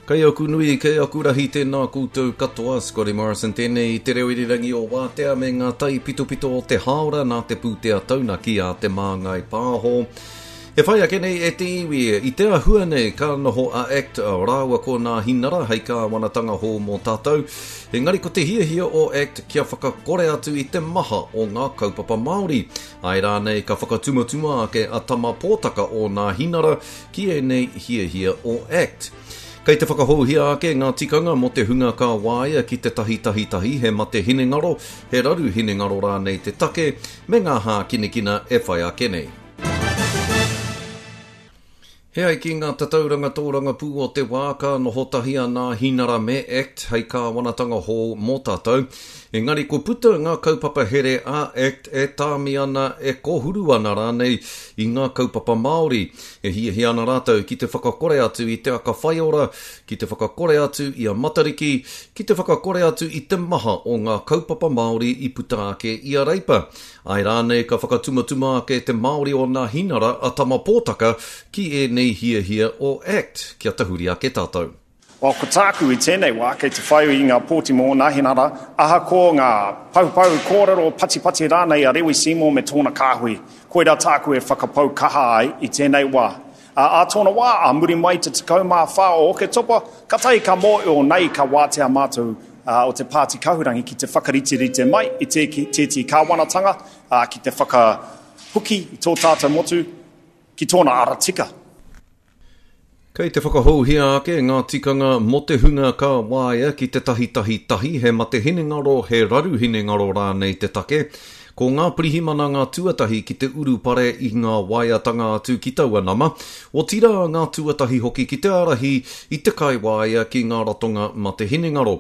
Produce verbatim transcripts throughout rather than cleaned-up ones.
Kei aku nui, kei aku rahi tēnā koutou katoa, Scotty Morrison tēnei i te reo irirangi o Wātea me ngā tai pitopito o te hāora nā te pūtea taunaki a Te Māngai Pāho. E whai ake nei e te iwi, i te ahua nei ka noho a ACT rāua ko Nāhinara hei kāwanatanga hou mō tātou, engari ko te hiahia o ACT kia whakakore atu i te maha o ngā kaupapa Māori. Āe rānei ka whakatumatuma ake a Tama Pōtaka o Nāhinara ki ēnei hiahia o ACT. Kei te whakahouhia ake ngā tikanga mō te hunga ka waia ki te tahi tahi tahi he mate hinengaro, he raru hinengaro rānei te take, me ngā hākinakina e whai ake nei. He ai ki ngā tatauranga tōrangapū o te wā ka noho tahi a Nāhinara me ACT hei kāwanatanga hou mō tātou. Engari ko puta ngā kaupapa here a ACT e tāmi ana, e kōhuru ana rānei i ngā kaupapa Māori. E hiahia ana rātou ki te whakakore atu i te aka whaiora, ki te whakakore atu i a Matariki, ki te whakakore atu i te maha o ngā kaupapa Māori i puta ake i a Reipa. Āe rānei ka whakatumatuma ake te Māori o Nāhinara a Tama Pōtaka ki ēnei hiahia o ACT, kia tahuri ake tātou. Well, ko tāku i tēnei wā, kei te whai i ngā pōti mō Nāhinara, ahakoa ngā paupau kōrero patipati rānei a Rewi Seymour me tōna kāhui. Koirā tāku e whakapau kaha ai i tēnei wā. Ā, ā tōna wā, ā muri mai te tekau mā whā o Oketopa, katahi ka mōio nei ka wātea mātou o te Pāti Kahurangi ki te whakariterite mai i tētehi kāwanatanga ki te whakahoki i tō tātou motu ki tōna ara tika. Kei te whakahouhia ake ngā tikanga mō te hunga ka waia ki te tahi tahi tahi he mate hinengaro, he raru hinengaro rānei te take. Ko ngā pirihimana ngā tuatahi ki te urupare i ngā waeatanga atu ki taua nama, otirā ngā tuatahi hoki ki te ārahi i te kaiwaea ki ngā ratonga mate hinengaro.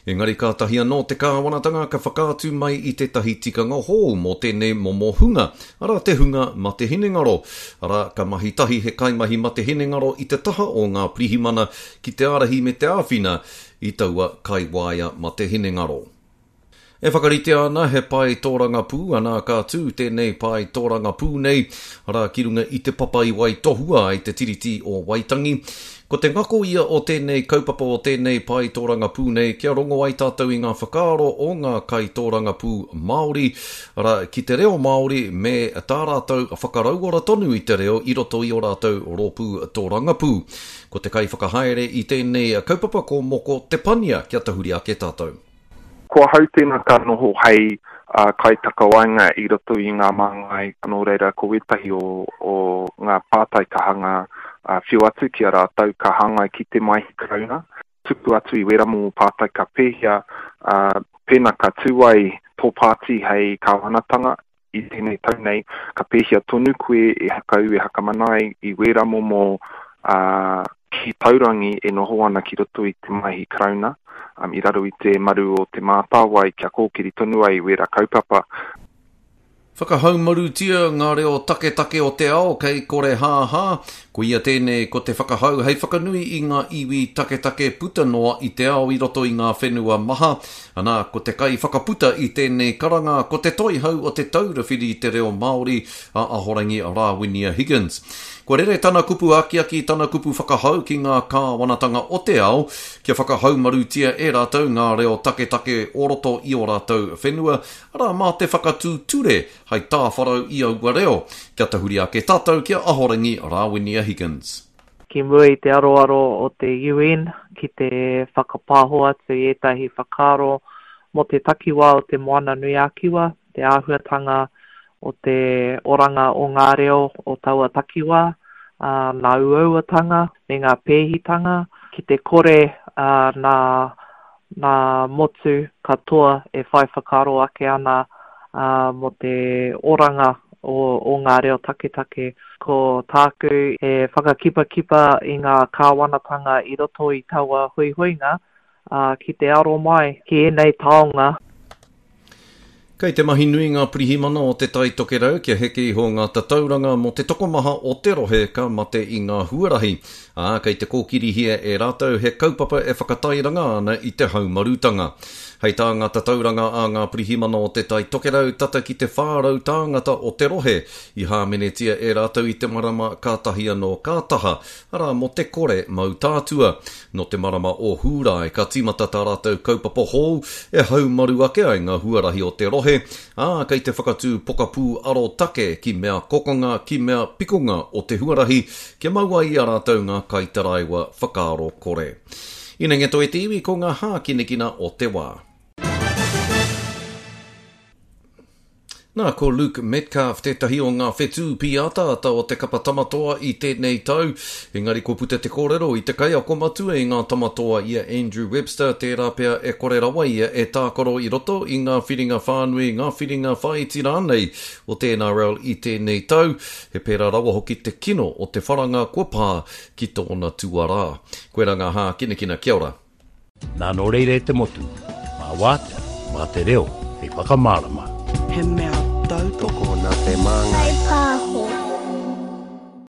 Engari kātahi anō te kāwanatanga ka whakaatu mai i tētahi tikanga hou mō tēnei momo hunga, arā te hunga mate hinengaro. Arā, ka mahi tahi he kaimahi mate hinengaro i te taha o ngā pirihimana ki te ārahi me te āwhina i taua kaiwaea mate hinengaro. E whakaritea ana he pae tōrangapū, ana ka tū tēnei pae tōrangapū nei, arā ki runga i te papa i waitohua ai te Tiriti o Waitangi. Ko te ngako ia o tēnei kaupapa o tēnei pae tōrangapū nei kia rongo ai tātou i ngā whakaaro o ngā kaitōrangapū Māori, arā ki te reo Māori me tā rātou whakarauora tonu i te reo i roto i ō rātou rōpū tōrangapū. Ko te kaiwhakahaere i tēnei kaupapa ko Moko Te Pania, kia tahuri ake tātou. Ko ahau tēnā ka noho hei uh, kaitakawaenga i roto i ngā māngai, nō reira ko wētahi o, o ngā pātai ka hanga uh, whiu atu ki a rātou ka hāngai ki te Maihi Karauna. Tuku atu i wērā momo pātai ka pēhea, uh, pēnā ka tū ai tō pāti hei kāwanatanga i tēnei tau nei, ka pēhea tonu koe e hakau, e hakamana ai i wērā momo uh, ki taurangi e noho ana ki roto i te Maihi Karauna, um, i raro i te maru o Te Mātāwai kia kōkiri tonu ai i wērā kaupapa. Whakahaumarutia ngā reo taketake o te ao kei kore hāhā. Koia tēnei ko te whakahau hei whakanui i ngā iwi taketake puta noa i te ao i roto i ngā whenua maha. Ana, ko te kai whakaputa i tēnei karanga ko te toihau o te Taura Whiri i te Reo Māori a Ahorangi Rāwinia Higgins. Kua rere tana kupu akiaki, tana kupu whakahau ki ngā kāwanatanga o te ao kia whakahaumarutia e rātou ngā reo taketake o roto i ō rātou whenua, arā mā te whakatū ture hei tāwharau i aua reo. Kia tahuri ake tātou ki a Ahorangi Rāwinia Higgins. Ki mua i te aroaro o te U N ki te whakapāho atu i ētahi whakaaro mō te takiwā o te Moana Nui ā-Kiwa, te āhuatanga o te oranga o ngā reo o taua takiwā, ā, nā uauatanga me ngā pēhitanga, ki te kore, ā, nā, nā motu katoa e whai whakaaro ake ana, ā, mō te oranga o, o ngā reo taketake. Ko tāku e whakakipakipa i ngā kāwanatanga i roto i taua huihuinga, ā, ki te aro mai ki ēnei taonga. Kei te mahi nui ngā pirihimana o te Tai Tokerau kia heke iho ngā tatauranga mō te tokomaha o te rohe ka mate i ngā huarahi. Ā, kei te kōkirihia e rātou he kaupapa e whakatairanga ana i te haumarutanga. Hei tā ngā tatauranga a ngā pirihimana o Te Tai Tokerau, tata ki te whā rau tāngata o te rohe i hāmenetia e rātou i te marama kātahi anō ka taha, arā mō te kore mau tātua. Nō te marama o Hūrae ka tīmata tā rātou kaupapa hou e haumaru ake ai ngā huarahi o te rohe, ā, kei te whakatū pokapū arotake ki mea kokonga, ki mea pikonga o te huarahi, kia mau ai i a rātou ngā kaitaraiwa whakaaro kore. Inengeto e te iwi ko ngā hākinakina o te wā. Nā, ko Luke Metcalf tētahi o ngā whetū pīataata o te kapa tamatoa i tēnei tau. Engari kua puta te kōrero i te kaiako matua i ngā tamatoa i a Andrew Webster, tērā pea e kore rawa ia e tākaro i roto i ngā whiringa whānui, ngā whiringa whāiti rānei o te N R L i tēnei tau. He pērā rawa hoki te kino o te wharanga kua pā ki tōna tuarā. Koirā ngā hākinakina, kia ora. Nā nō reira e te motu, mā wātea, mā te reo, hei whakamārama. He mea tautoko. Tokona te māngai.